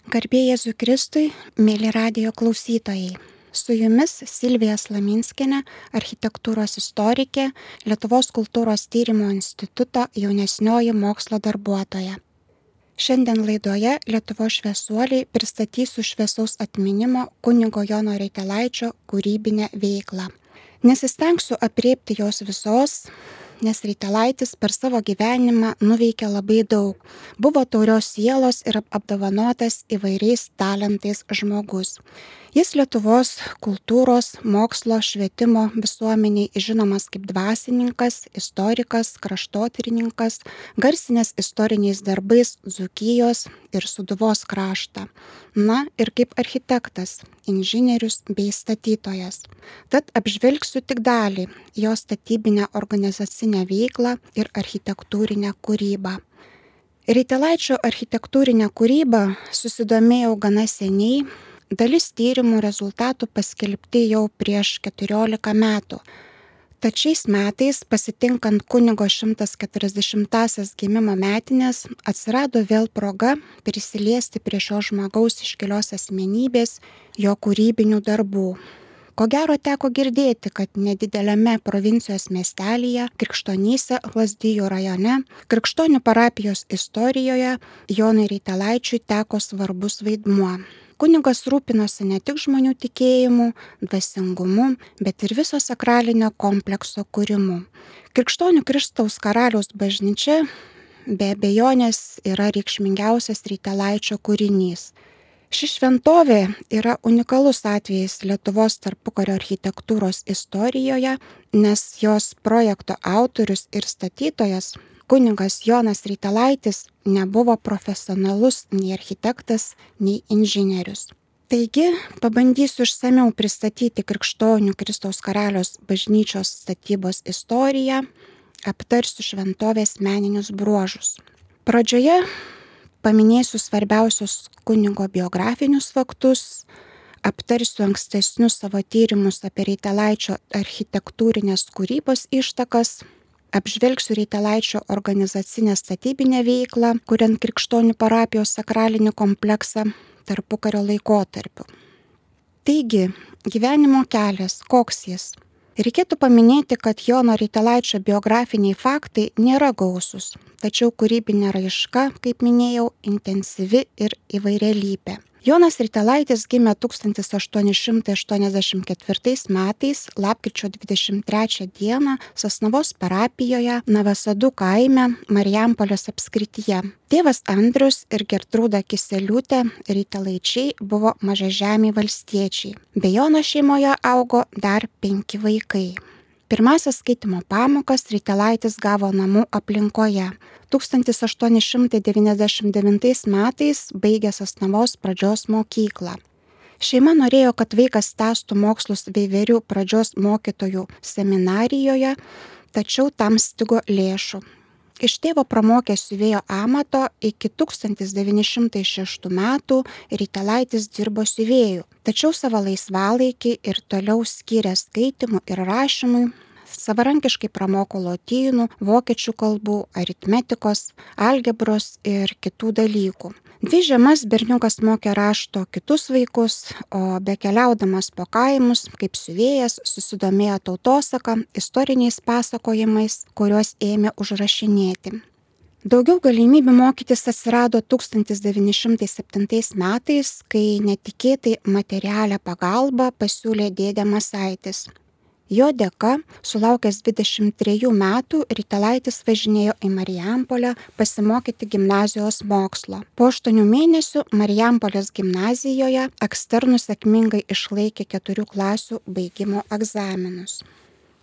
Garbė Jėzui Kristui, mėly radijo klausytojai. Su jumis Silvija Slaminskienė, architektūros istorikė, Lietuvos kultūros tyrimo instituto jaunesnioji mokslo darbuotoja. Šiandien laidoje Lietuvos šviesuoliai pristatysiu šviesaus atminimo kunigo Jono Reitelaičio kūrybinę veiklą. Nesistengsiu apriepti jos visos, nes Reitelaitis per savo gyvenimą nuveikė labai daug. Buvo taurios sielos ir apdovanotas įvairiais talentais žmogus. Jis Lietuvos kultūros, mokslo, švietimo visuomeniai žinomas kaip dvasininkas, istorikas, kraštotyrininkas, garsinęs istoriniais darbais Dzūkijos ir Sūduvos kraštą. Na ir kaip architektas, inžinierius bei statytojas. Tad apžvelgsiu tik dalį jo statybinę organizacinę veiklą ir architektūrinę kūrybą. Reitelaičio architektūrinę kūrybą susidomėjau gana seniai. Dalis tyrimų rezultatų paskelbti jau prieš 14 metų. Tad šiais metais, pasitinkant kunigo 140-asias gimimo metinės, atsirado vėl proga prisiliesti prie šio žmogaus iškilios asmenybės, jo kūrybinių darbų. Ko gero teko girdėti, kad nedideliame provincijos miestelyje, Krikštonyse, Lazdijų rajone, Krikštonių parapijos istorijoje Jonui Reitelaičiui teko svarbus vaidmuo. Kunigas rūpinosi ne tik žmonių tikėjimu, dvasingumu, bet ir viso sakralinio komplekso kūrimu. Krikštonių Kristaus karaliaus bažnyčia be abejonės yra reikšmingiausias Reitelaičio kūrinys. Ši šventovė yra unikalus atvejis Lietuvos tarpukario architektūros istorijoje, nes jos projekto autorius ir statytojas kunigas Jonas Reitelaitis nebuvo profesionalus nei architektas, nei inžinierius. Taigi, pabandysiu išsamiau pristatyti Krikštonių Kristaus karaliaus bažnyčios statybos istoriją, aptarsiu šventovės meninius bruožus. Pradžioje paminėsiu svarbiausius kunigo biografinius faktus, aptarsiu ankstesnius savo tyrimus apie Reitelaičio architektūrinės kūrybos ištakas, apžvelgsiu Reitelaičio organizacinę statybinę veiklą, kuriant Krikštonių parapijos sakralinį kompleksą tarpukario laikotarpiu. Taigi, gyvenimo kelias, koks jis? Reikėtų paminėti, kad Jono Reitelaičio biografiniai faktai nėra gausūs, tačiau kūrybinė raiška, kaip minėjau, intensyvi ir įvairialypė. Jonas Reitelaitis gimė 1884 metais, lapkričio 23 dieną, Sasnavos parapijoje, Navasadų kaime, Marijampolės apskrityje. Tėvas Andrius ir Gertrūda Kiseliūtė Reitelaičiai buvo mažažemiai valstiečiai. Be Jono šeimoje augo dar 5 vaikai. Pirmasias skaitimo pamokas Reitelaitis gavo namų aplinkoje. 1899 metais baigė Sasnavos pradžios mokyklą. Šeima norėjo, kad vaikas tęstų mokslus Veiverių pradžios mokytojų seminarijoje, tačiau tam stigo lėšų. Iš tėvo pramokė siuvėjo amato iki 1906 metų Reitelaitis dirbo siuvėju, tačiau savo laisvalaikį ir toliau skyrė skaitimui ir rašymui. Savarankiškai pramoko lotynų, vokiečių kalbų, aritmetikos, algebros ir kitų dalykų. 2 žiemas berniukas mokė rašto kitus vaikus, o bekeliaudamas po kaimus, kaip siuvėjas, susidomėjo tautosaka, istoriniais pasakojimais, kuriuos ėmė užrašinėti. Daugiau galimybių mokytis atsirado 1907 metais, kai netikėtai materialią pagalbą pasiūlė dėdė Masaitis. Jo dėka, sulaukęs 23 metų, Reitelaitis važinėjo į Marijampolę pasimokyti gimnazijos mokslo. Po 8 mėnesių Marijampolės gimnazijoje eksternus sėkmingai išlaikė 4 klasių baigimo egzaminus.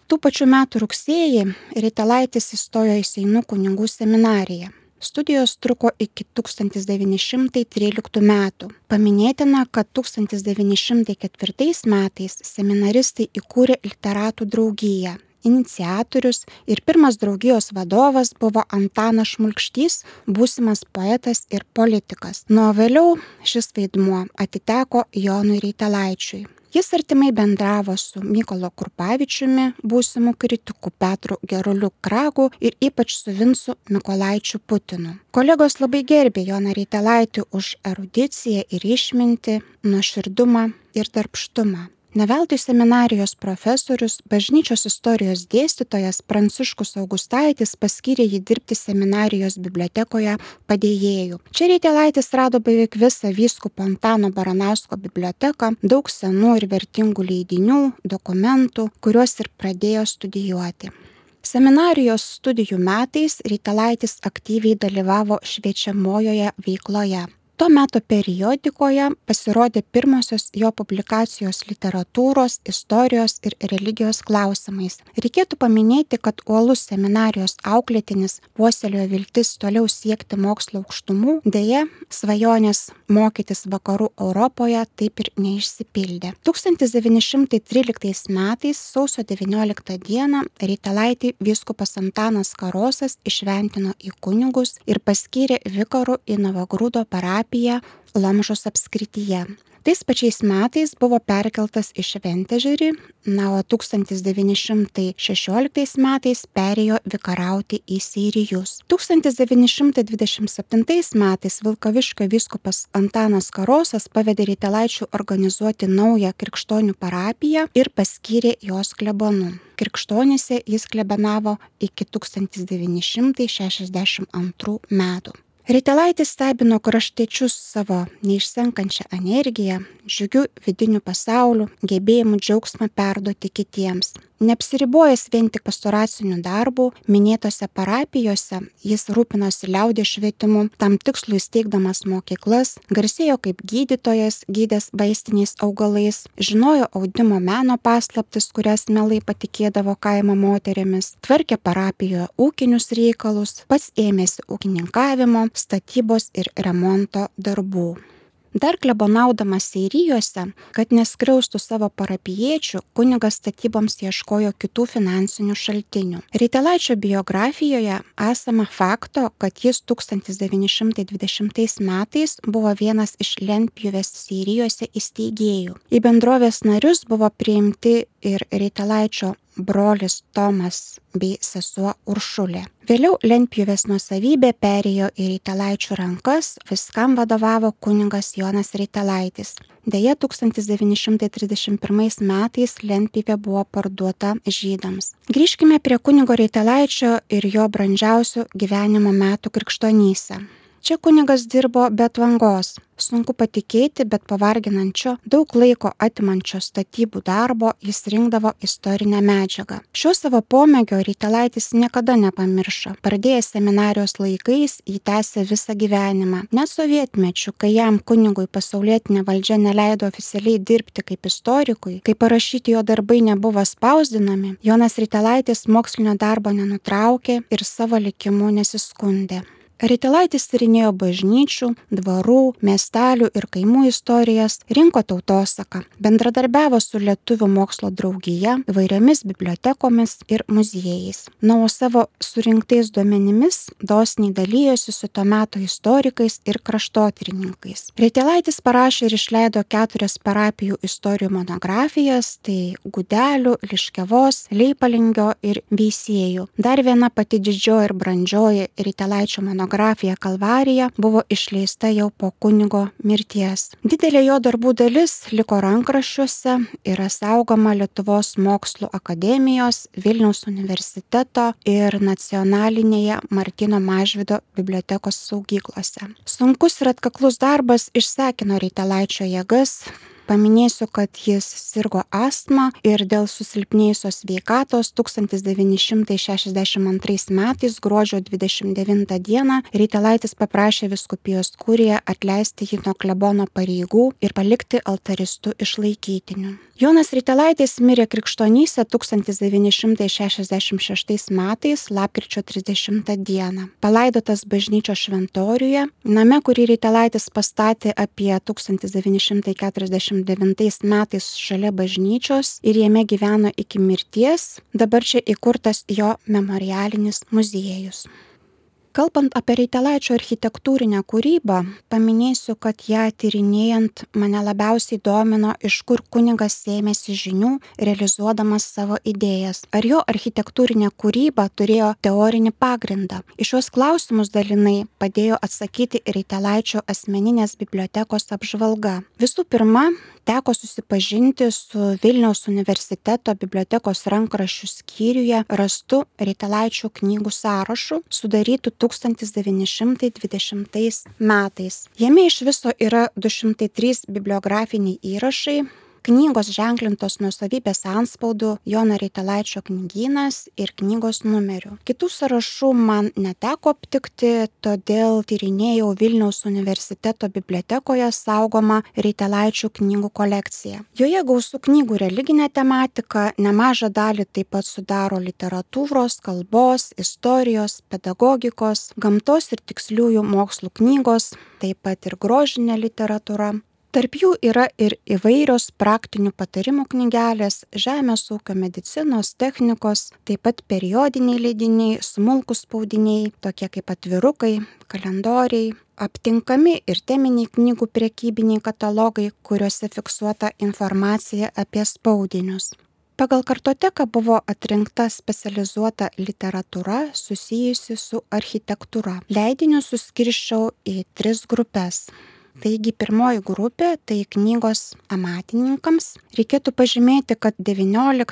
Tų pačių metų rugsėjį Reitelaitis įstojo į Seinų kunigų seminariją. Studijos truko iki 1913 metų. Paminėtina, kad 1904 metais seminaristai įkūrė literatų draugiją. Iniciatorius ir pirmas draugijos vadovas buvo Antanas Šmulkštys, būsimas poetas ir politikas. Nuo vėliau šis vaidmuo atiteko Jonui Reitelaičiui. Jis artimai bendravo su Mykolu Krupavičiumi, būsimu kritiku Petru Geruliu Kragu ir ypač su Vincu Mykolaičiu Putinu. Kolegos labai gerbė Joną Rytelaitį už erudiciją ir išmintį, nuoširdumą ir darbštumą. Ne veltui seminarijos profesorius, bažnyčios istorijos dėstytojas Pranciškus Augustaitis paskyrė jį dirbti seminarijos bibliotekoje padėjėju. Čia Rytelaitis rado beveik visą vyskupo Antano Baranausko biblioteką, daug senų ir vertingų leidinių, dokumentų, kuriuos ir pradėjo studijuoti. Seminarijos studijų metais Rytelaitis aktyviai dalyvavo šviečiamojoje veikloje. Tuo metu periodikoje pasirodė pirmosios jo publikacijos literatūros, istorijos ir religijos klausimais. Reikėtų paminėti, kad uolus seminarijos auklėtinis puoselėjo viltis toliau siekti mokslo aukštumų, deja, svajonės mokytis vakarų Europoje taip ir neišsipildė. 1913 metais sausio 19 dieną Rytelaitį vyskupas Antanas Karosas išventino į kunigus ir paskyrė vikaru į Novagrūdo parapiją Lomžos apskrityje. Tais pačiais metais buvo perkeltas į Šventežerį, o 1916 metais perėjo vikarauti į Seirijus. 1927 metais Vilkaviškio vyskupas Antanas Karosas pavedė Rytelaičiui organizuoti naują krikštonių parapiją ir paskyrė jos klebonu. Krikštonyse jis klebenavo iki 1962 metų. Rytelaitis stebino kraštiečius savo neišsenkančią energiją, džiugiu vidiniu pasauliu, gebėjimu džiaugsmą perduoti kitiems. Neapsiribojęs vien tik pastoraciniu darbu, minėtose parapijose jis rūpinosi liaudies švietimu, tam tikslui steigdamas mokyklas, garsėjo kaip gydytojas, gydęs vaistiniais augalais, žinojo audimo meno paslaptis, kurias mielai patikėdavo kaimo moterimis, tvarkė parapijoje ūkinius reikalus, pats ėmėsi ūkininkavimo, statybos ir remonto darbų. Dar klebonaudamas Seirijose, kad neskriaustų savo parapijiečių, kunigas statyboms ieškojo kitų finansinių šaltinių. Rytelaičio biografijoje esama fakto, kad jis 1920 metais buvo vienas iš lentpjūvės Seirijose įsteigėjų. Į bendrovės narius buvo priimti ir Rytelaičio brolis Tomas bei sesuo Uršulė. Vėliau lentpjūvės nuosavybė perėjo į Rytelaičių rankas, viskam vadovavo kunigas Jonas Rytelaitis. Deja, 1931 metais lentpjūvė buvo parduota žydams. Grįžkime prie kunigo Rytelaičio ir jo brandžiausių gyvenimo metų krikštonyse. Čia kunigas dirbo be atvangos. Sunku patikėti, bet pavarginančio, daug laiko atimančio statybų darbo jis rinkdavo istorinę medžiagą. Šio savo pomėgio Rytelaitis niekada nepamiršo. Pradėjęs seminarijos laikais, jį tęsė visą gyvenimą. Net sovietmečiu, kai jam kunigui pasaulietinė valdžia neleido oficialiai dirbti kaip istorikui, kai parašyti jo darbai nebuvo spausdinami, Jonas Rytelaitis mokslinio darbo nenutraukė ir savo likimu nesiskundė. Rytelaitis tyrinėjo bažnyčių, dvarų, miestelių ir kaimų istorijas, rinko tautosaką, bendradarbiavo su Lietuvių mokslo draugija, įvairiomis bibliotekomis ir muziejais. O savo surinktais duomenimis dosniai dalyjosi su to meto istorikais ir kraštotyrininkais. Rytelaitis parašė ir išleido 4 parapijų istorijų monografijas, tai Gudelių, Liškiavos, Leipalingio ir Veisiejų. Dar viena pati didžioji ir brandžioji Rytelaičio monografija Kalvarija buvo išleista jau po kunigo mirties. Didelė jo darbų dalis liko rankraščiuose, yra saugoma Lietuvos mokslų akademijos, Vilniaus universiteto ir nacionalinėje Martyno Mažvydo bibliotekos saugyklose. Sunkus ir atkaklus darbas išsekino Rytelaičio jėgas. Paminėsiu, kad jis sirgo astma ir dėl susilpnėjusios sveikatos 1962 metais gruodžio 29 dieną Rytelaitis paprašė vyskupijos kuriją atleisti jį nuo klebono pareigų ir palikti altaristų išlaikytinių. Jonas Rytelaitis mirė Krikštonyse 1966 metais lapkričio 30 dieną. Palaidotas bažnyčios šventoriuje, name, kurį Rytelaitis pastatė apie 1949 metais šalia bažnyčios ir jame gyveno iki mirties, dabar čia įkurtas jo memorialinis muziejus. Kalbant apie Reitelaičio architektūrinę kūrybą, paminėsiu, kad ją tyrinėjant mane labiausiai domino, iš kur kunigas sėmėsi žinių, realizuodamas savo idėjas. Ar jo architektūrinė kūryba turėjo teorinį pagrindą? Į šios klausimus dalinai padėjo atsakyti Reitelaičio asmeninės bibliotekos apžvalga. Visų pirma, teko susipažinti su Vilniaus universiteto bibliotekos rankraščių skyriuje rastu Reitelaičio knygų sąrašu, sudarytų 1920 metais. Jame iš viso yra 203 bibliografiniai įrašai, knygos ženklintos nuosavybės antspaudu Jono Reitelaičio knygynas ir knygos numeriu. Kitų sąrašų man neteko aptikti, todėl tyrinėjau Vilniaus universiteto bibliotekoje saugomą Reitelaičio knygų kolekciją. Joje gausu knygų religinė tematika, nemažą dalį taip pat sudaro literatūros, kalbos, istorijos, pedagogikos, gamtos ir tiksliųjų mokslų knygos, taip pat ir grožinė literatūra. Tarp jų yra ir įvairios praktinių patarimų knygelės, žemės ūkio, medicinos, technikos, taip pat periodiniai leidiniai, smulkūs spaudiniai, tokie kaip atvirukai, kalendoriai, aptinkami ir teminiai knygų prekybiniai katalogai, kuriuose fiksuota informacija apie spaudinius. Pagal kartoteką buvo atrinkta specializuota literatūra susijusi su architektūra. Leidinius suskirsčiau į 3 grupės. Taigi pirmoji grupė tai knygos amatininkams. Reikėtų pažymėti, kad XIX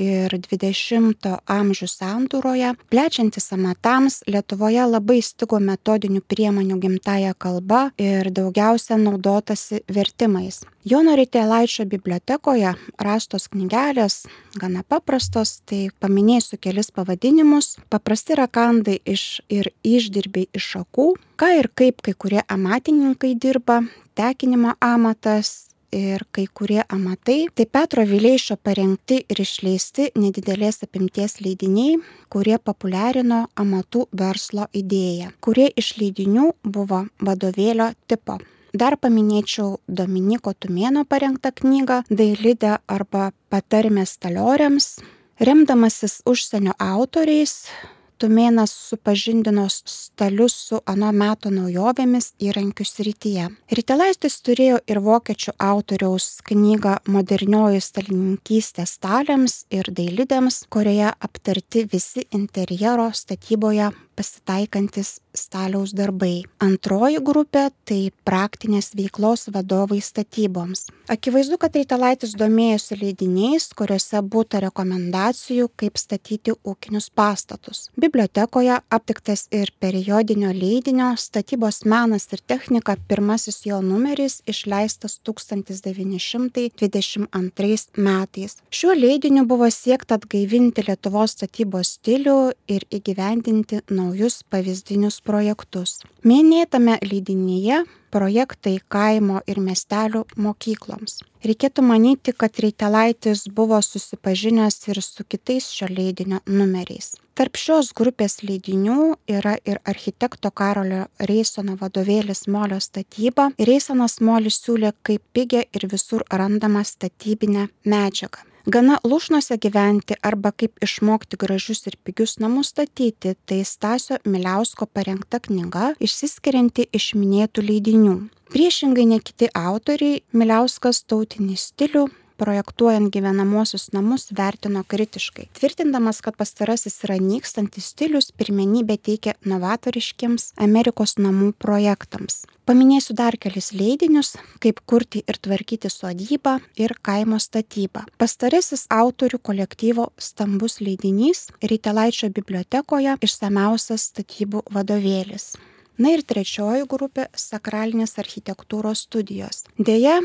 ir XX amžių sandūroje, plečiantis amatams, Lietuvoje labai stigo metodinių priemonių gimtąja kalba ir daugiausia naudotasi vertimais. Jono Reitelaičio bibliotekoje rastos knygelės gana paprastos, tai paminėsiu kelis pavadinimus. Paprasti rakandai ir išdirbiai iš šakų, ką ir kaip kai kurie amatininkai dirba, tekinimo amatas ir kai kurie amatai. Tai Petro Vileišio parengti ir išleisti nedidelės apimties leidiniai, kurie populiarino amatų verslo idėją. Kurie iš leidinių buvo vadovėlio tipo. Dar paminėčiau Dominiko Tumėno parengtą knygą Dailidė arba Patarmės stalioriams. Remdamasis užsienio autoriais, Tumėnas supažindino stalius su ano meto naujovėmis įrankių srityje. Reitelaitis turėjo ir vokiečių autoriaus knygą Modernioji stalininkystė staliams ir dailidėms, kurioje aptarti visi interjero statyboje pasitaikantis staliaus darbai. Antroji grupė tai praktinės veiklos vadovai statyboms. Akivaizdu, kad Reitelaitis domėjosi leidiniais, kuriuose būta rekomendacijų, kaip statyti ūkinius pastatus. Bibliotekoje aptiktas ir periodinio leidinio Statybos menas ir technika pirmasis jo numeris išleistas 1922 metais. Šiuo leidiniu buvo siekta atgaivinti Lietuvos statybos stilių ir įgyvendinti naujus pavyzdinius projektus. Minėtame leidinyje projektai kaimo ir miestelių mokykloms. Reikėtų manyti, kad Reitelaitis buvo susipažinęs ir su kitais šio leidinio numeriais. Tarp šios grupės leidinių yra ir architekto Karolio Reisono vadovėlis Molio statyba. Reisonas Molį siūlė kaip pigią ir visur randamą statybinę medžiagą. Gana lūšnose gyventi arba kaip išmokti gražius ir pigius namus statyti, tai Stasio Miliausko parengta knyga, išsiskirianti iš minėtų leidinių. Priešingai ne kiti autoriai, Miliauskas tautinį stilių, projektuojant gyvenamosius namus, vertino kritiškai, tvirtindamas, kad pastarasis yra nykstantis stilius, pirmenybę teikia novatoriškiams Amerikos namų projektams. Paminėsiu dar kelis leidinius, kaip kurti ir tvarkyti sodybą ir kaimo statybą. Pastarasis autorių kolektyvo stambus leidinys Reitelaičio bibliotekoje išsamiausias statybų vadovėlis. Na ir trečioji grupė - sakralinės architektūros studijos. Deja,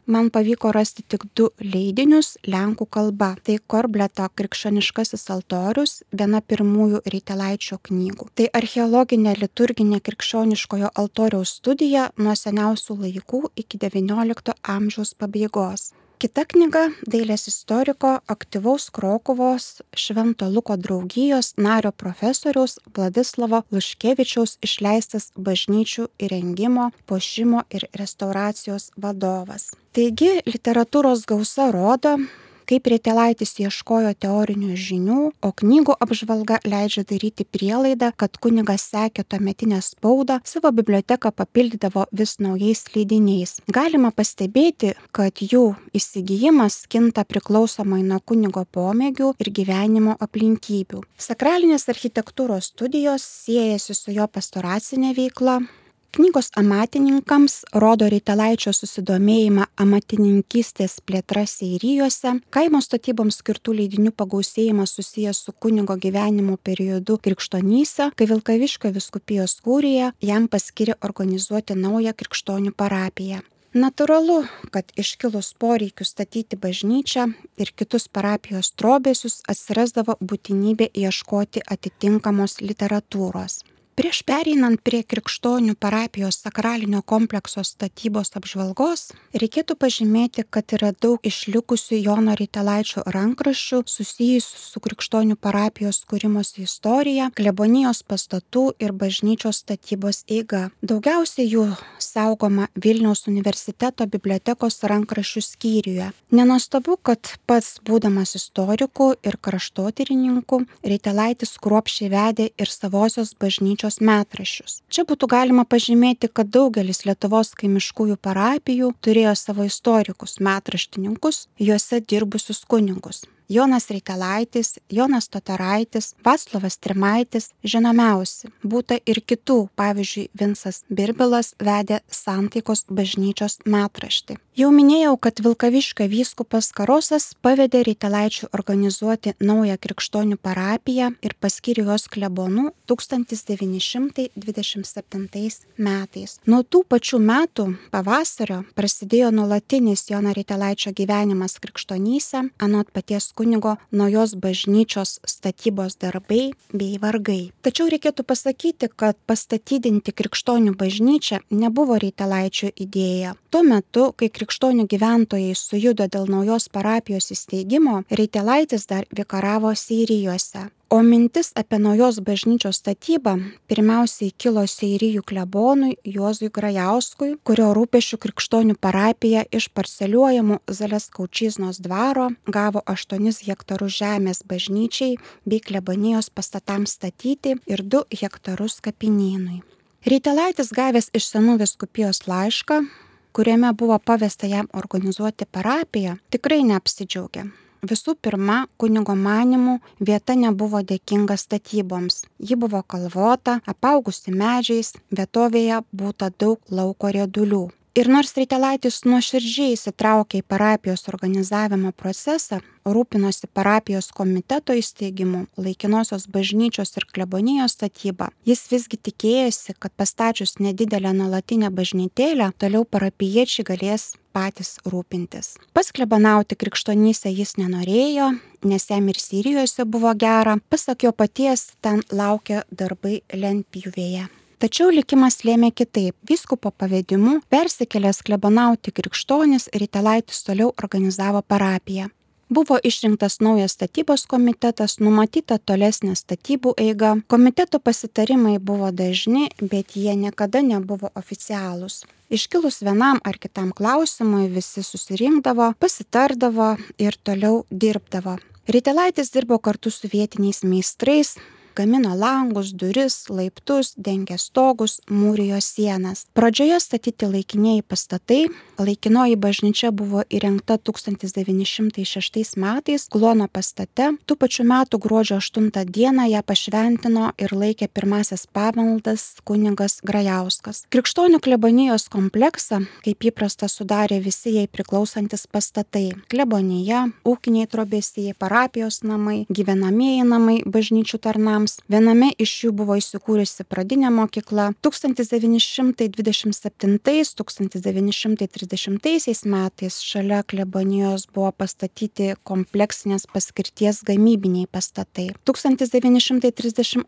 man pavyko rasti tik 2 leidinius lenkų kalba. Tai Korbleto Krikščioniškasis altorius, viena pirmųjų Reitelaičio knygų. Tai archeologinė liturginė krikščioniškojo altoriaus studija nuo seniausių laikų iki XIX amžiaus pabaigos. Kita knyga dailės istoriko aktyvaus Krokuvos Švento Luko draugijos nario profesoriaus Vladislavo Luškevičiaus išleistas bažnyčių įrengimo, puošimo ir restauracijos vadovas. Taigi, literatūros gausa rodo, kaip Ritelaitis ieškojo teorinių žinių, o knygų apžvalga leidžia daryti prielaidą, kad kunigas sekė tuometinę spaudą, savo biblioteką papildydavo vis naujais leidiniais. Galima pastebėti, kad jų įsigijimas kinta priklausomai nuo kunigo pomėgių ir gyvenimo aplinkybių. Sakralinės architektūros studijos siejasi su jo pastoracinė veikla. Knygos amatininkams rodo Ritelaičio susidomėjimą amatininkystės plėtra seirijuose, kaimo statyboms skirtų leidinių pagausėjimas susijęs su kunigo gyvenimo periodu Krikštonyse, kai Vilkaviškio vyskupijos kurija jam paskyrė organizuoti naują krikštonių parapiją. Natūralu, kad iškilus poreikiu statyti bažnyčią ir kitus parapijos trobesius atsirasdavo būtinybė ieškoti atitinkamos literatūros. Prieš pereinant prie Krikštonių parapijos sakralinio komplekso statybos apžvalgos, reikėtų pažymėti, kad yra daug išlikusių Jono Ritelaičio rankraščių susijusių su Krikštonių parapijos kūrimosi istorija, klebonijos pastatų ir bažnyčios statybos eiga. Daugiausiai jų saugoma Vilniaus universiteto bibliotekos rankraščių skyriuje. Nenuostabu, kad pats būdamas istoriku ir kraštotyrininku, Ritelaitis kruopščiai vedė ir savosios bažnyčios metraščius. Čia būtų galima pažymėti, kad daugelis Lietuvos kaimiškųjų parapijų turėjo savo istorikus, metraštininkus, juose dirbusius kunigus. Jonas Ritelaitis, Jonas Totoraitis, Vaclovas Trimaitis žinomiausi. Būta ir kitų, pavyzdžiui, Vincas Birbilas vedė Santaikos bažnyčios metraštį. Jau minėjau, kad Vilkaviškio vyskupas Karosas pavedė Ritelaičiui organizuoti naują Krikštonių parapiją ir paskyrė jos klebonu 1927 metais. Nuo tų pačių metų pavasario prasidėjo nuolatinis Jono Ritelaičio gyvenimas Krikštonyse, anot paties kunigo naujos bažnyčios statybos darbai bei vargai. Tačiau reikėtų pasakyti, kad pastatydinti Krikštonių bažnyčią nebuvo Ritelaičio idėja. Tuo metu, kai krikštonių gyventojai sujudo dėl naujos parapijos įsteigimo, Ritelaitis dar vikaravo Seirijuose. O mintis apie naujos bažnyčios statybą pirmiausiai kilo Seirijų klebonui Juozui Grajauskui, kurio rūpesčių Krikštonių parapija iš parceliuojamų Zaleskaučiznos dvaro gavo 8 hektarus žemės bažnyčiai bei klebonijos pastatams statyti ir 2 hektarus kapinynui. Ritelaitis gavęs iš senų vyskupijos laišką, kuriame buvo pavesta jam organizuoti parapiją, tikrai neapsidžiaugė. Visų pirma, kunigo manymu, vieta nebuvo dėkinga statyboms. Ji buvo kalvota, apaugusi medžiais, vietovėje būta daug lauko riedulių. Ir nors Ritelaitis nuoširdžiai įsitraukė į parapijos organizavimo procesą, rūpinosi parapijos komiteto įsteigimu, laikinosios bažnyčios ir klebonijos statybą, jis visgi tikėjosi, kad pastačius nedidelę nuolatinę bažnytėlę, toliau parapijiečiai galės patys rūpintis. Pasklebonauti Krikštonyse jis nenorėjo, nes jam ir Seirijuose buvo gera, pasak jo paties, ten laukia darbai lentpjūvėje. Tačiau likimas lėmė kitaip. Vyskupo pavedimu persikėlęs klebonauti krikščionis Ritelaitis toliau organizavo parapiją. Buvo išrinktas naujas statybos komitetas, numatyta tolesnė statybų eiga. Komiteto pasitarimai buvo dažni, bet jie niekada nebuvo oficialūs. Iškilus vienam ar kitam klausimui visi susirinkdavo, pasitardavo ir toliau dirbdavo. Ritelaitis dirbo kartu su vietiniais meistrais, gamino langus, duris, laiptus, dengė stogus, mūrijo sienas. Pradžioje statyti laikinieji pastatai, laikinoji bažnyčia buvo įrengta 1906 metais Kluono pastate. Tų pačių metų gruodžio 8 dieną ją pašventino ir laikė pirmasis pamaldas kunigas Grajauskas. Krikštonių klebonijos kompleksą, kaip įprasta, sudarė visi jai priklausantis pastatai: klebonija, ūkiniai trobesiai, parapijos namai, gyvenamieji namai bažnyčių tarnams. Viename iš jų buvo įsikūrusi pradinė mokykla. 1927-1930 metais šalia klebonijos buvo pastatyti kompleksinės paskirties gamybiniai pastatai. 1938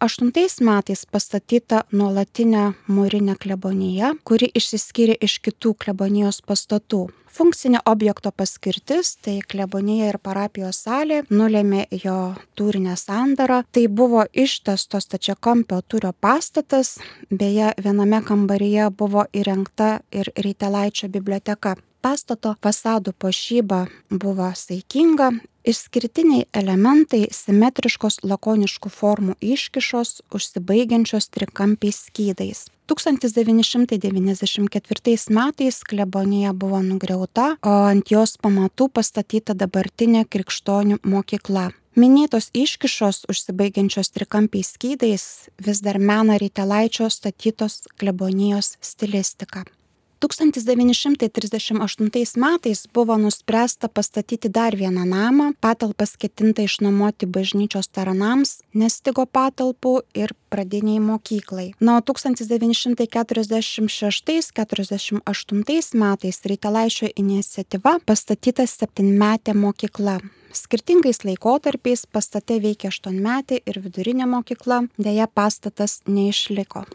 metais pastatyta nuolatinė mūrinė klebonija, kuri išsiskyrė iš kitų klebonijos pastatų. Funkcinė objekto paskirtis, tai klebonija ir parapijos salė, nulėmė jo tūrinę sandarą. Tai buvo ištęsto stačiakampio tūrio pastatas, beje, viename kambaryje buvo įrengta ir Ritelaičio biblioteka. Pastato fasadų puošyba buvo saikinga, išskirtiniai elementai simetriškos lakoniškų formų iškišos, užsibaigiančios trikampiais skydais. 1994 metais klebonija buvo nugriauta, o ant jos pamatų pastatyta dabartinė Krikštonių mokykla. Minėtos iškišos užsibaigiančios trikampiais skydais vis dar mena Rytelaičio statytos klebonijos stilistiką. 1938 metais buvo nuspręsta pastatyti dar vieną namą, patalpas ketinta išnuomoti bažnyčios taranams, nestigo patalpų ir pradiniai mokyklai. O 1946-48 metais Rytelaičio iniciatyva pastatyta 7-metė mokykla. Skirtingais laikotarpiais pastate veikia 8-metė ir vidurinė mokykla, deja pastatas neišliko.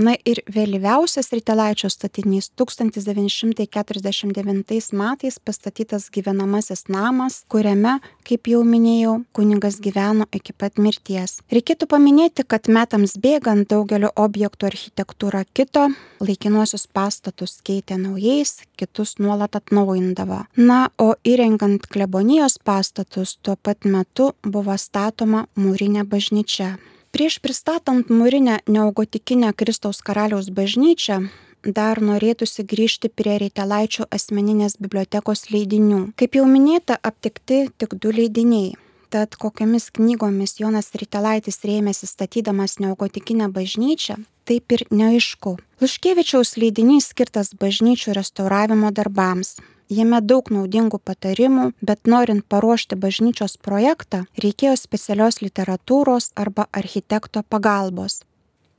Na ir vėlyviausias Rytelaičio statinys 1949 metais pastatytas gyvenamasis namas, kuriame, kaip jau minėjau, kunigas gyveno iki pat mirties. Reikėtų paminėti, kad metams bėgant daugelio objektų architektūra kito, laikinuosius pastatus keitė naujais, kitus nuolat atnaujindavo. Na, o įrengiant klebonijos pastatus tuo pat metu buvo statoma mūrinė bažnyčia. Prieš pristatant mūrinę neogotikinę Kristaus karaliaus bažnyčią, dar norėtųsi grįžti prie Rytelaičio asmeninės bibliotekos leidinių. Kaip jau minėta, aptikti tik 2 leidiniai. Tad kokiamis knygomis Jonas Rytelaitis rėmėsi statydamas neogotikinę bažnyčią, taip ir neaišku. Liuškevičiaus leidinys skirtas bažnyčių restauravimo darbams. Jame daug naudingų patarimų, bet norint paruošti bažnyčios projektą, reikėjo specialios literatūros arba architekto pagalbos.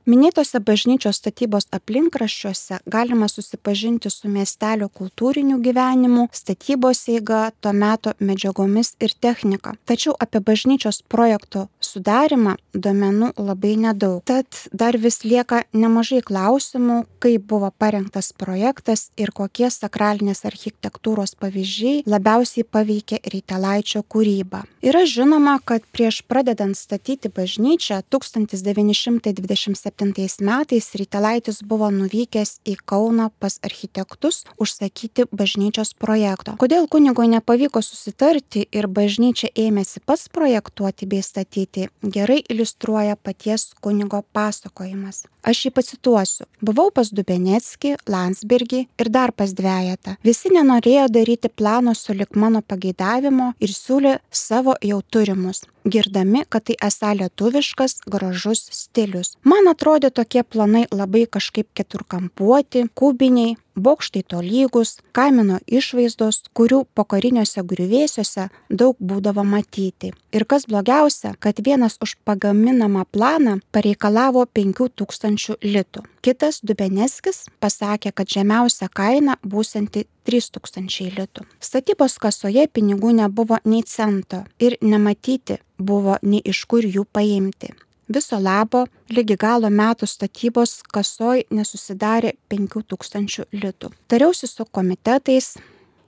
Minėtose bažnyčios statybos aplinkraščiuose galima susipažinti su miestelio kultūriniu gyvenimu, statybos eiga, to meto medžiagomis ir technika. Tačiau apie bažnyčios projekto sudarimą duomenų labai nedaug. Tad dar vis lieka nemažai klausimų, kaip buvo parengtas projektas ir kokie sakralinės architektūros pavyzdžiai labiausiai paveikė Rytelaičio kūrybą. Yra žinoma, kad prieš pradedant statyti bažnyčią 1927 metais Rytelaitis buvo nuvykęs į Kauną pas architektus užsakyti bažnyčios projekto. Kodėl kunigui nepavyko susitarti ir bažnyčią ėmėsi pats projektuoti bei statyti, gerai iliustruoja paties kunigo pasakojimas. Aš jį pacituosiu. Buvau pas Dubeneckį, Landsbergį ir dar pas dvejetą. Visi nenorėjo daryti plano sulig mano pageidavimo ir siūlė savo jau turimus, girdami, kad tai esą lietuviškas, gražus stilius. Man atrodė tokie planai labai kažkaip keturkampuoti, kubiniai, bokštai tolygus, kamino išvaizdos, kurių pokariniuose griuvėsiuose daug būdavo matyti. Ir kas blogiausia, kad vienas už pagaminamą planą pareikalavo 5000 litų. Kitas Dubeneckis pasakė, kad žemiausia kaina būsianti 3000 litų. Statybos kasoje pinigų nebuvo nei cento ir nematyti buvo nei iš kur jų paimti. Viso labo, lygi galo metų statybos kasoj nesusidarė 5000 litų. Tariausi su komitetais,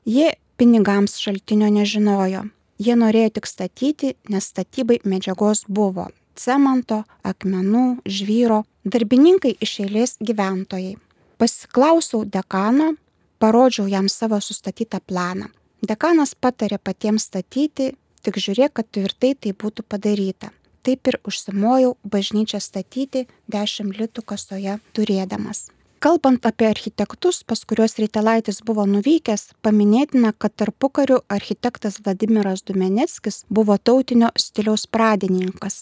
jie pinigams šaltinio nežinojo. Jie norėjo tik statyti, nes statybai medžiagos buvo - cemento, akmenų, žvyro, darbininkai iš eilės gyventojai. Pasiklausiau dekano, parodžiau jam savo sustatytą planą. Dekanas patarė patiems statyti, tik žiūrėk, kad tvirtai tai būtų padaryta. Taip ir užsimojau bažnyčią statyti 10 litų kasoje turėdamas. Kalbant apie architektus, pas kuriuos Rytelaitis buvo nuvykęs, paminėtina, kad tarpukariu architektas Vladimiras Dubeneckis buvo tautinio stiliaus pradininkas.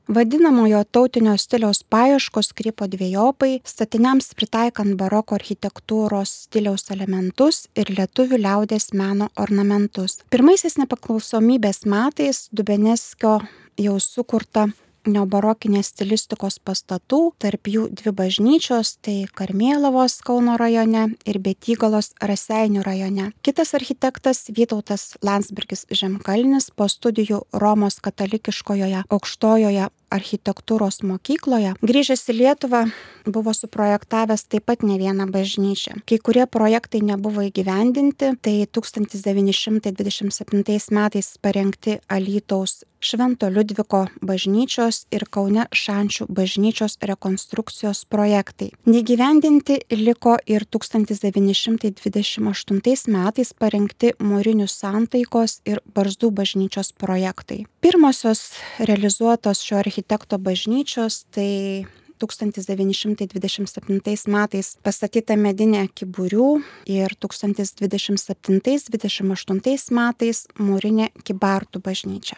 Vadinamojo tautinio stiliaus paieškos krypo dvejopai, statiniams pritaikant baroko architektūros stiliaus elementus ir lietuvių liaudies meno ornamentus. Pirmaisiais nepriklausomybės metais Dubeneckio jau sukurta neobarokinės stilistikos pastatų, tarp jų 2 bažnyčios, tai Karmėlavos Kauno rajone ir Betygalos Raseinių rajone. Kitas architektas Vytautas Landsbergis Žemkalnis po studijų Romos katalikiškojoje aukštojoje architektūros mokykloje, grįžęs į Lietuvą buvo suprojektavęs taip pat ne vieną bažnyčią. Kai kurie projektai nebuvo įgyvendinti, tai 1927 metais parengti Alytaus Švento Liudviko bažnyčios ir Kaune Šančių bažnyčios rekonstrukcijos projektai. Neįgyvendinti liko ir 1928 metais parengti Mūrinių Santaikos ir Barzdų bažnyčios projektai. Pirmosios realizuotos šio architekto bažnyčios tai 1927 metais pastatyta medinė Kyburių ir 1927-1928 metais mūrinė Kybartų bažnyčia.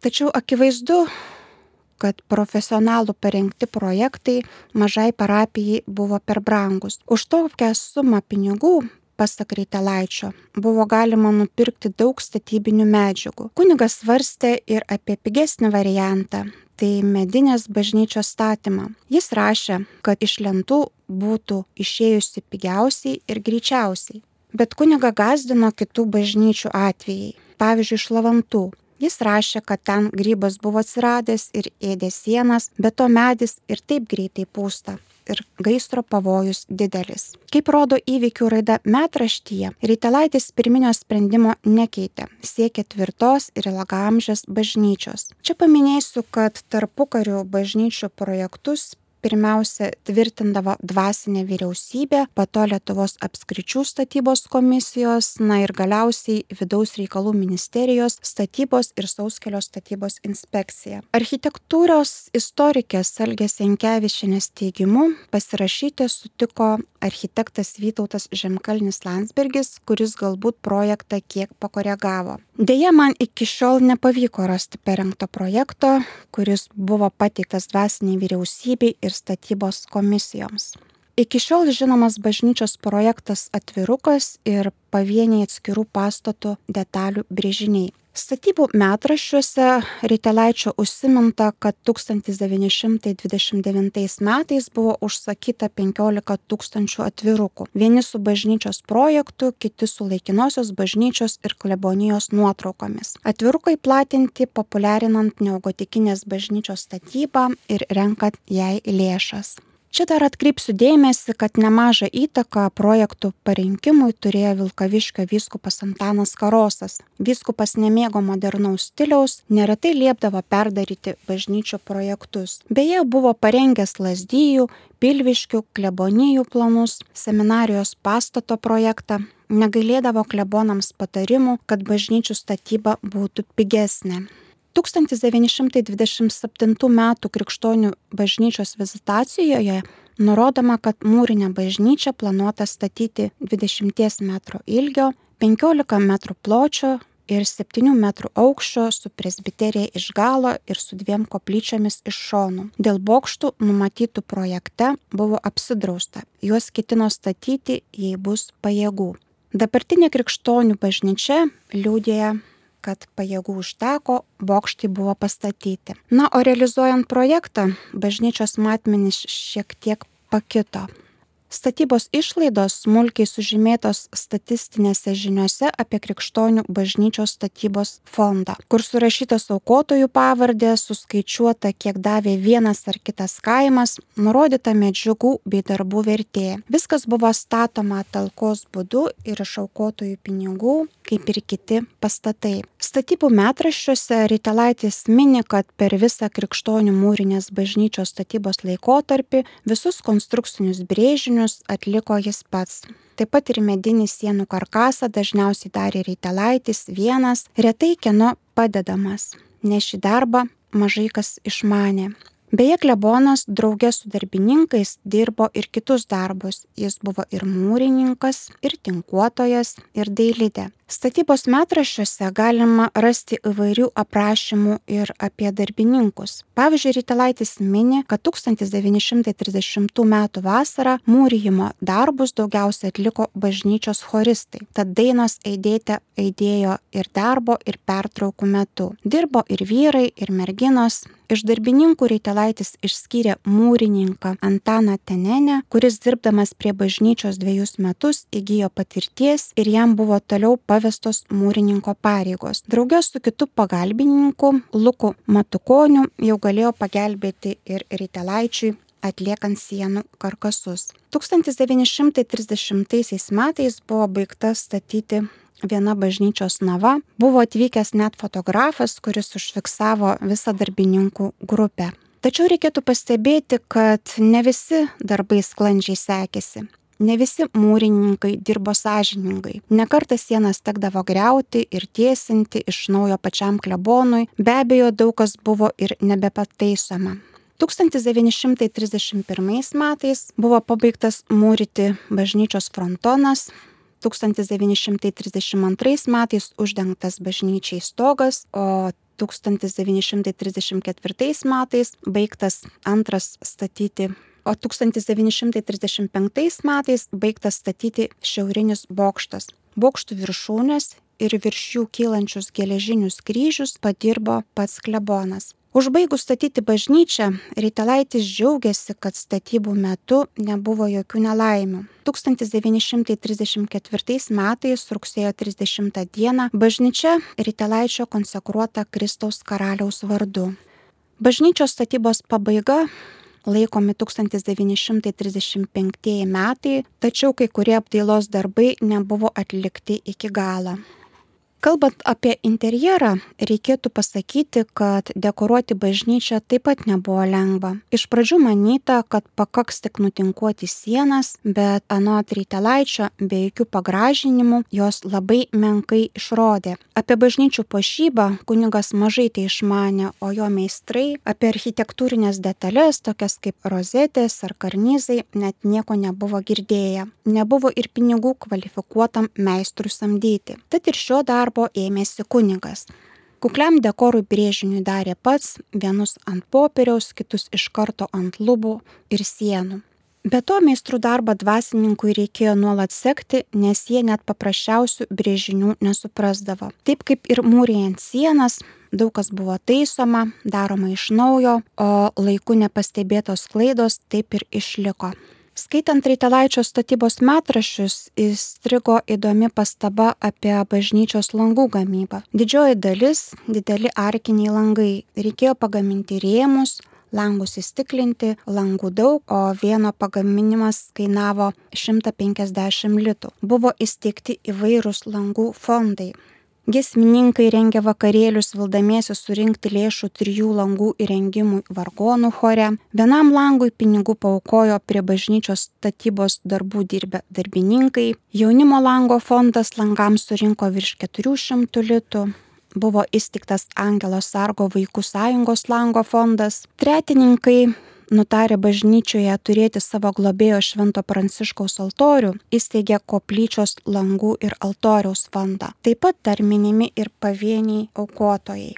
Tačiau akivaizdu, kad profesionalų parengti projektai mažai parapijai buvo per brangus. Už tokią sumą pinigų, pasak Raitelaičio, buvo galima nupirkti daug statybinių medžiagų. Kunigas svarstė ir apie pigesnį variantą, tai medinės bažnyčios statymą. Jis rašė, kad iš lentų būtų išėjusi pigiausiai ir greičiausiai. Bet kunigą gąsdino kitų bažnyčių atvejai, pavyzdžiui, Šlavantų. Jis rašė, kad ten grybas buvo atsiradęs ir ėdė sienas, bet to medis ir taip greitai pūsta ir gaisro pavojus didelis. Kaip rodo įvykių raida metraštyje, Raitelaitis pirminio sprendimo nekeitė, siekė tvirtos ir ilgaamžės bažnyčios. Čia paminėsiu, kad tarpukariu bažnyčių projektus pirmiausia tvirtindavo dvasinė vyriausybė, po to Lietuvos apskričių statybos komisijos, ir galiausiai Vidaus reikalų ministerijos statybos ir Sauskelio statybos inspekcija. Architektūros istorikės Algės Jankevičienės teigimu pasirašyti sutiko architektas Vytautas Žemkalnis Landsbergis, kuris galbūt projektą kiek pakoregavo. Deja, man iki šiol nepavyko rasti parengto projekto, kuris buvo pateiktas dvasiniai vyriausybei ir statybos komisijoms. Iki šiol žinomas bažnyčios projektas atvirukas ir pavieniai atskirų pastatų detalių brėžiniai. Statybų metraščiuose Raitelaičio užsiminta, kad 1929 metais buvo užsakyta 15 000 atvirukų. Vieni su bažnyčios projektu, kiti su laikinosios bažnyčios ir klebonijos nuotraukomis. Atvirukai platinti populiarinant neogotikinės bažnyčios statybą ir renkant jai lėšas. Čia dar atkreipsiu dėmesį, kad nemažą įtaką projektų parinkimui turėjo Vilkaviškio vyskupas Antanas Karosas. Vyskupas nemėgo modernaus stiliaus, neretai liepdavo perdaryti bažnyčių projektus. Beje, buvo parengęs Lazdijų, Pilviškių, klebonijų planus, seminarijos pastato projektą, negailėdavo klebonams patarimų, kad bažnyčių statyba būtų pigesnė. 1927 m. Krikštonių bažnyčios vizitacijoje nurodoma, kad mūrinę bažnyčią planuota statyti 20 metrų ilgio, 15 metrų pločio ir 7 metrų aukščio su presbiterija iš galo ir su 2 koplyčiomis iš šonų. Dėl bokštų numatytų projekte buvo apsidrausta. Juos ketino statyti, jei bus pajėgų. Dabartinė Krikštonių bažnyčia liudija, kad pajėgų užteko, bokštai buvo pastatyti. O realizuojant projektą, bažnyčios matmenys šiek tiek pakito. Statybos išlaidos smulkiai sužymėtos statistinėse žiniose apie Krikštonių bažnyčios statybos fondą, kur surašytos aukotojų pavardė, suskaičiuota, kiek davė vienas ar kitas kaimas, nurodyta medžiagų bei darbų vertė. Viskas buvo statoma talkos būdu ir iš aukotojų pinigų, kaip ir kiti pastatai. Statybų metraščiuose Raitelaitis mini, kad per visą Krikštonių mūrinės bažnyčios statybos laikotarpį visus konstrukcinius brėžinius atliko jis pats. Taip pat ir medinį sienų karkasą dažniausiai darė Raitelaitis vienas, retai kieno padedamas, nes šį darbą mažai kas išmanė. Beje, klebonas drauge su darbininkais dirbo ir kitus darbus. Jis buvo ir mūrininkas, ir tinkuotojas, ir dailidė. Statybos metraščiuose galima rasti įvairių aprašymų ir apie darbininkus. Pavyzdžiui, Raitelaitis mini, kad 1930 m. vasarą mūrijimo darbus daugiausiai atliko bažnyčios choristai. Tad dainos aidėjo ir darbo, ir pertraukų metu. Dirbo ir vyrai, ir merginos. Iš darbininkų Raitelaitis išskyrė mūrininką Antaną Tenenę, kuris dirbdamas prie bažnyčios 2 metus įgijo patirties ir jam buvo toliau pavestos mūrininko pareigos. Drauge su kitu pagalbininku Luku Matukoniu jau galėjo pagelbėti ir Raitelaičiui atliekant sienų karkasus. 1930 metais buvo baigta statyti viena bažnyčios nava, buvo atvykęs net fotografas, kuris užfiksavo visą darbininkų grupę. Tačiau reikėtų pastebėti, kad ne visi darbai sklandžiai sekėsi. Ne visi mūrininkai dirbo sąžiningai. Ne kartą sienas tekdavo griauti ir tiesinti iš naujo pačiam klebonui. Be abejo, daug kas buvo ir nebepataisoma. 1931 metais buvo pabaigtas mūryti bažnyčios frontonas, 1932 metais uždengtas bažnyčiai stogas, o 1934 metais baigtas antras statyti, o 1935 metais baigtas statyti šiaurinis bokštas. Bokštų viršūnės ir virš jų kylančius geležinius kryžius padirbo pats klebonas. Užbaigus statyti bažnyčią, Raitelaitis džiaugiasi, kad statybų metu nebuvo jokių nelaimių. 1934 metais rugsėjo 30 dieną bažnyčia Raitelaičio konsekruota Kristaus karaliaus vardu. Bažnyčios statybos pabaiga laikomi 1935 metai, tačiau kai kurie apdailos darbai nebuvo atlikti iki galo. Kalbant apie interjerą, reikėtų pasakyti, kad dekoruoti bažnyčią taip pat nebuvo lengva. Iš pradžių manyta, kad pakaks tik nutinkuoti sienas, bet anot Raitelaičio be jokių pagražinimų jos labai menkai išrodė. Apie bažnyčių puošybą kunigas mažai tai išmanė, o jo meistrai apie architektūrinės detalės, tokias kaip rozetės ar karnizai, net nieko nebuvo girdėję. Nebuvo ir pinigų kvalifikuotam meistrui samdyti. Tad ir šio darbo ėmėsi kunigas. Kukliam dekorui brėžiniui darė pats, vienus ant popieriaus, kitus iš karto ant lubų ir sienų. Be to meistrų darbą dvasininkui reikėjo nuolat sekti, nes jie net paprasčiausių brėžinių nesuprasdavo. Taip kaip ir mūrijant sienas, daug kas buvo taisoma, daroma iš naujo, o laiku nepastebėtos klaidos taip ir išliko. Skaitant Raitelaičio statybos metraščius, įstrigo įdomi pastaba apie bažnyčios langų gamybą. Didžioji dalis - dideli arkiniai langai. Reikėjo pagaminti rėmus, langus įstiklinti, langų daug, o vieno pagaminimas kainavo 150 litų. Buvo įsteigti įvairūs langų fondai. Giesmininkai rengė vakarėlius vildamiesi surinkti lėšų 3 langų įrengimui vargonų chore. Vienam langui pinigų paaukojo prie bažnyčios statybos darbų dirbę darbininkai. Jaunimo lango fondas langams surinko virš 400 litų. Buvo įsteigtas Angelo Sargo vaikų sąjungos lango fondas. Tretininkai nutarė bažnyčioje turėti savo globėjo Švento Pranciškaus altorių, įsteigė koplyčios langų ir altoriaus fondą. Taip pat dar minimi ir pavieniai aukotojai.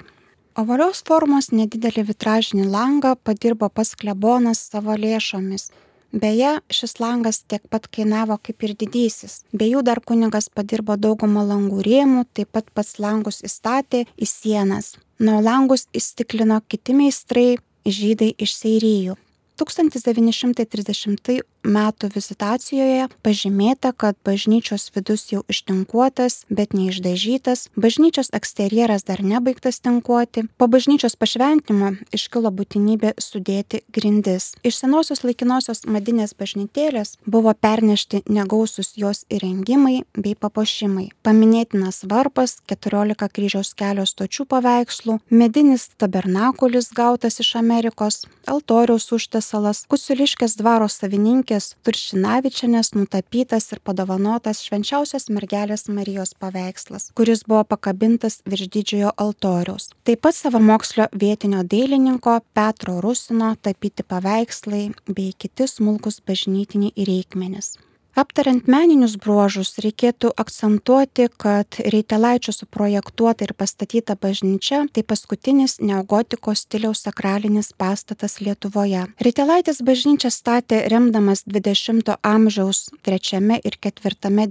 Ovalios formos nedidelį vitražinį langą padirbo pats klebonas savo lėšomis. Beje, šis langas tiek pat kainavo kaip ir didysis. Be jų dar kunigas padirbo daugumą langų rėmų, taip pat pats langus įstatė į sienas. Nuo langus įstiklino kiti meistrai, žydai iš Seirijų. 1930 metų vizitacijoje pažymėta, kad bažnyčios vidus jau ištinkuotas, bet neišdažytas, bažnyčios eksterjeras dar nebaigtas tinkuoti. Po bažnyčios pašventinimo iškilo būtinybė sudėti grindis. Iš senosios laikinosios madinės bažnytėlės buvo pernešti negausus jos įrengimai bei papuošimai. Paminėtinas varpas, 14 kryžiaus kelio stočių paveikslų, medinis tabernakulis gautas iš Amerikos, altoriaus užtiesalas, Kusuliškės dvaro savininkės Turšinavičienės nutapytas ir padovanotas Švenčiausios mergelės Marijos paveikslas, kuris buvo pakabintas virš didžiojo altoriaus. Taip pat savamokslio vietinio dailininko Petro Rusino tapyti paveikslai bei kiti smulkus bažnytiniai reikmenys. Aptariant meninius bruožus, reikėtų akcentuoti, kad Reitelaičio suprojektuota ir pastatyta bažnyčia tai paskutinis neogotikos stiliaus sakralinis pastatas Lietuvoje. Reitelaitis bažnyčią statė remdamas 20 amžiaus 3 ir 4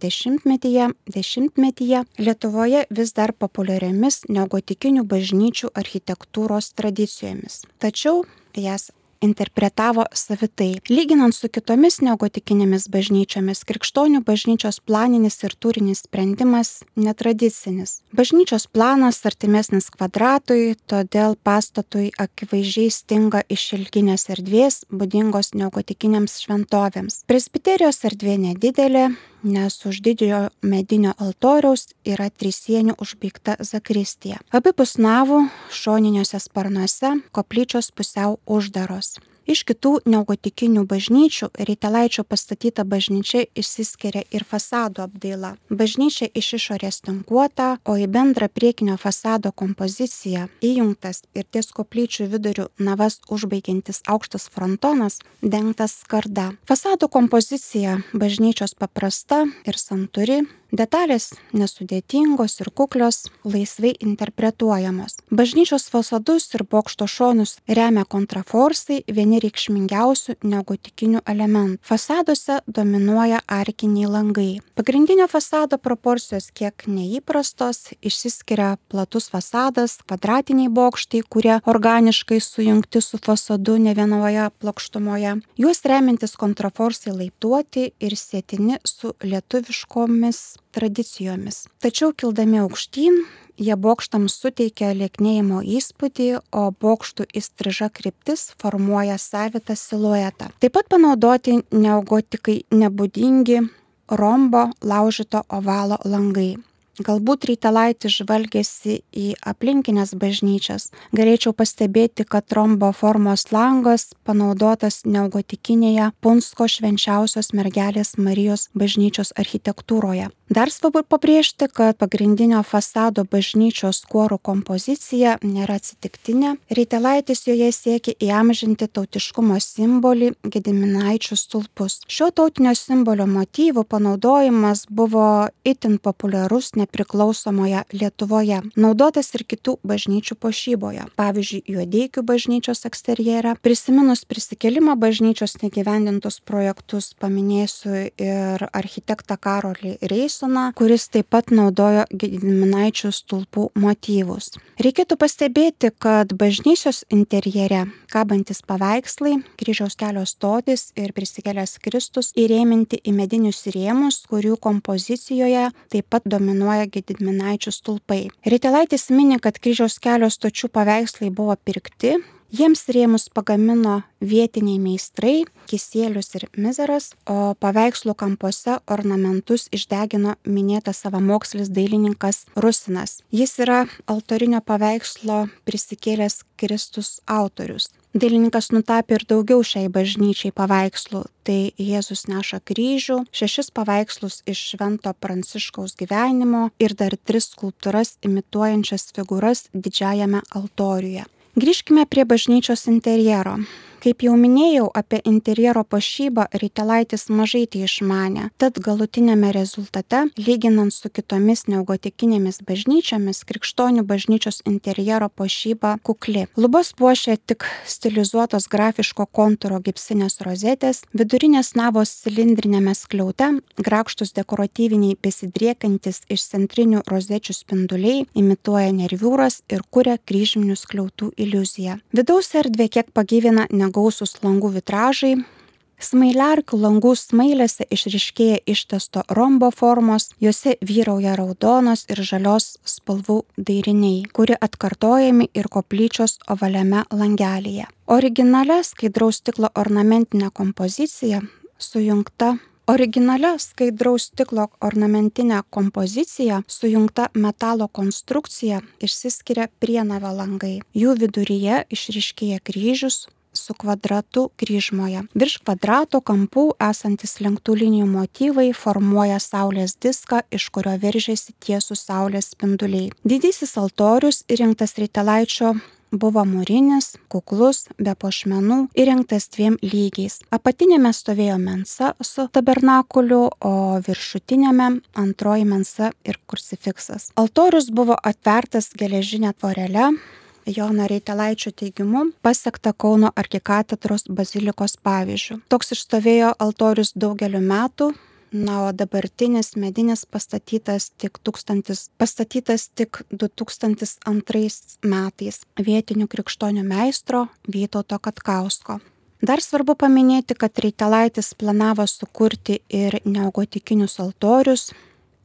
dešimtmetyje Lietuvoje vis dar populiariomis neogotikinių bažnyčių architektūros tradicijomis. Tačiau jas interpretavo savitai. Lyginant su kitomis neogotikinėmis bažnyčiomis, krikštonių bažnyčios planinis ir tūrinis sprendimas netradicinis. Bažnyčios planas artimesnis kvadratui, todėl pastatui akivaizdžiai stinga išilginės erdvės, būdingos neogotikinėms šventovėms. Presbiterijos erdvė nedidelė, nes už didžiojo medinio altoriaus yra trisienių užbaigta zakristija. Abipus navų šoniniuose sparnuose koplyčios pusiau uždaros. Iš kitų neogotikinių bažnyčių Reitelaičio pastatyta bažnyčia išsiskiria ir fasado apdaila. Bažnyčia iš išorės tinkuota, o į bendrą priekinio fasado kompoziciją įjungtas ir ties koplyčių viduriu navas užbaigiantis aukštas frontonas dengtas skarda. Fasado kompozicija bažnyčios paprasta ir santūri, detalės nesudėtingos ir kuklios, laisvai interpretuojamos. Bažnyčios fasadus ir bokšto šonus remia kontraforsai, vieni reikšmingiausių neogotikinių elementų. Fasaduose dominuoja arkiniai langai. Pagrindinio fasado proporcijos kiek neįprastos, išsiskiria platus fasadas, kvadratiniai bokštai, kurie organiškai sujungti su fasadu ne vienoje plokštumoje. Juos remiantis kontraforsai laiptuoti ir sėtini su lietuviškomis tradicijomis. Tačiau kildami aukštyn, jie bokštams suteikia lieknėjimo įspūdį, o bokštų įstriža kryptis formuoja savitą siluetą. Taip pat panaudoti neogotikai nebūdingi rombo laužyto ovalo langai. Galbūt Reitelaitis žvalgėsi į aplinkinės bažnyčias. Galėčiau pastebėti, kad rombo formos langas panaudotas neogotikinėje Punsko švenčiausios mergelės Marijos bažnyčios architektūroje. Dar svarbu pabrėžti, kad pagrindinio fasado bažnyčios kuorų kompozicija nėra atsitiktinė. Reitelaitis joje siekia įamžinti tautiškumo simbolį Gediminaičių stulpus. Šio tautinio simbolio motyvų panaudojimas buvo itin populiarus nepriklausomoje Lietuvoje, naudotas ir kitų bažnyčių puošyboje. Pavyzdžiui, Juodeikių bažnyčios eksterjere. Prisiminus prisikėlimo bažnyčios negyvendintus projektus, paminėsiu ir architektą Karolį Reisoną, kuris taip pat naudojo Gediminaičių stulpų motyvus. Reikėtų pastebėti, kad bažnyčios interjere kabantis paveikslai, Kryžiaus kelio stotis ir prisikėlęs Kristus įrėminti į medinius rėmus, kurių kompozicijoje taip pat dominuoja Gediminaičių stulpai. Reitelaitis mini, kad Kryžiaus kelio stočių paveikslai buvo pirkti, jiems rėmus pagamino vietiniai meistrai, Kisielius ir Mizeras, o paveikslų kampuose ornamentus išdegino minėtas savamokslis dailininkas Rusinas. Jis yra altorinio paveikslo Prisikėlęs Kristus autorius. Dailininkas nutapė ir daugiau šiai bažnyčiai paveikslų. Tai Jėzus neša kryžių, 6 paveikslus iš Švento Pranciškaus gyvenimo ir dar 3 skulptūras imituojančias figūras didžiajame altoriuje. Grįžkime prie bažnyčios interjero. Kaip jau minėjau, apie interjero puošybą Reitelaitis mažai tai išmanė, tad galutinėme rezultate, lyginant su kitomis neogotikinėmis bažnyčiomis, krikštonių bažnyčios interjero puošyba kukli. Lubas puošia tik stilizuotos grafiško kontūro gipsinės rozetės, vidurinės navos cilindrinėme skliaute, grakštus dekoratyviniai besidriekiantis iš centrinių rozečių spinduliai imituoja nerviūras ir kuria kryžminių skliautų iliuziją. Vidaus erdvė kiek pagyvina negausus langų vitražai. Smailiarkių langų smailėse išryškėja ištesto rombo formos, juose vyrauja raudonos ir žalios spalvų dairiniai, kurie atkartojami ir koplyčios ovaliame langelyje. Originalia skaidraus stiklo ornamentinė kompozicija sujungta metalo konstrukcija išsiskiria prienavio langai. Jų viduryje išryškėja kryžius su kvadratu kryžmoje. Virš kvadrato kampų esantis lenktų linijų motyvai formuoja saulės diską, iš kurio veržiasi tiesų saulės spinduliai. Didysis altorius įrengtas Reitelaičio buvo mūrinis, kuklus, be puošmenų, įrengtas 2 lygiais. Apatinėme stovėjo mensa su tabernakuliu, o viršutinėme antroji mensa ir krucifiksas. Altorius buvo atvertas geležinė tvorele. Jono Reitelaičio teigimu pasiekta Kauno arkikatedros bazilikos pavyzdžių. Toks išstovėjo altorius daugeliu metų, o dabartinis medinis pastatytas tik 2002 metais vietinių krikštonių meistro Vytauto Katkausko. Dar svarbu paminėti, kad Reitelaitis planavo sukurti ir neogotikinius altorius.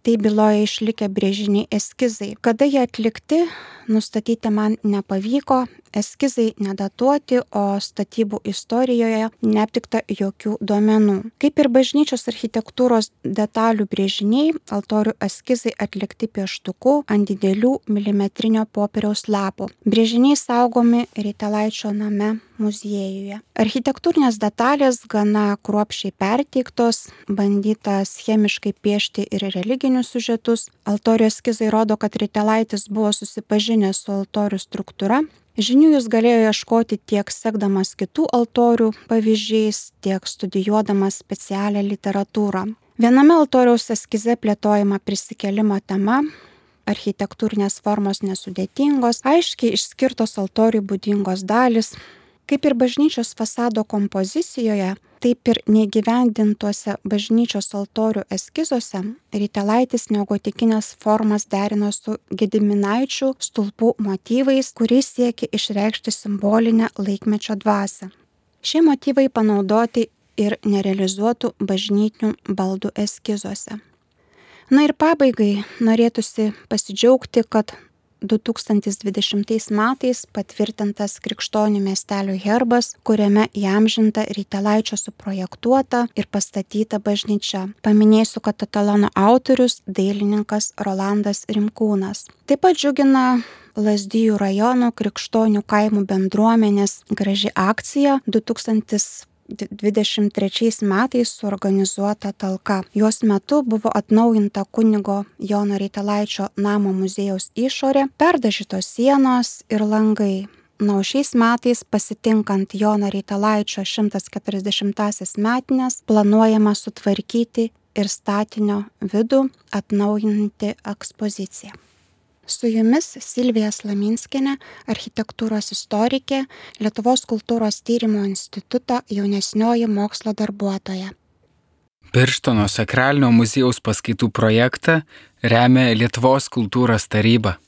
Tai byloja išlikę brėžiniai eskizai. Kada jie atlikti, nustatyti man nepavyko, eskizai nedatuoti, o statybų istorijoje neaptikta jokių duomenų. Kaip ir bažnyčios architektūros detalių brėžiniai, altorių eskizai atlikti pieštuku ant didelių milimetrinio popieriaus lapų. Brėžiniai saugomi Reitelaičio name muziejuje. Architektūrinės detalės gana kruopščiai perteiktos, bandyta schemiškai piešti ir religinius siužetus. Altorių eskizai rodo, kad Reitelaitis buvo susipažinęs su altorių struktūra. Žinių jis galėjo ieškoti tiek sekdamas kitų altorių pavyzdžiais, tiek studijuodamas specialią literatūrą. Viename altoriaus eskize plėtojama prisikėlimo tema. Architektūrinės formos nesudėtingos, aiškiai išskirtos altoriui būdingos dalys. Kaip ir bažnyčios fasado kompozicijoje, taip ir neįgyvendintuose bažnyčios altorių eskizuose Reitelaitis neogotikinės formas derino su Gediminaičių stulpų motyvais, kuriais siekė išreikšti simbolinę laikmečio dvasią. Šie motyvai panaudoti ir nerealizuotų bažnytinių baldų eskizuose. Na ir pabaigai norėtųsi pasidžiaugti, kad 2020 metais patvirtintas Krikštonių miestelio herbas, kuriame įamžinta Reitelaičio suprojektuota ir pastatyta bažnyčia. Paminėsiu, kad etalono autorius dailininkas Rolandas Rimkūnas. Taip pat džiugina Lazdijų rajono Krikštonių kaimų bendruomenės graži akcija 2023 metais suorganizuota talka. Jos metu buvo atnaujinta kunigo Jono Reitelaičio namo muziejaus išorė, perdažytos sienos ir langai. O šiais metais pasitinkant Jono Reitelaičio 140-asias metines planuojama sutvarkyti ir statinio vidų, atnaujinti ekspoziciją. Su jumis Silvija Slaminskienė, architektūros istorikė, Lietuvos kultūros tyrimo instituto jaunesnioji mokslo darbuotoja. Birštono sakralinio muziejaus paskaitų projektą remia Lietuvos kultūros taryba.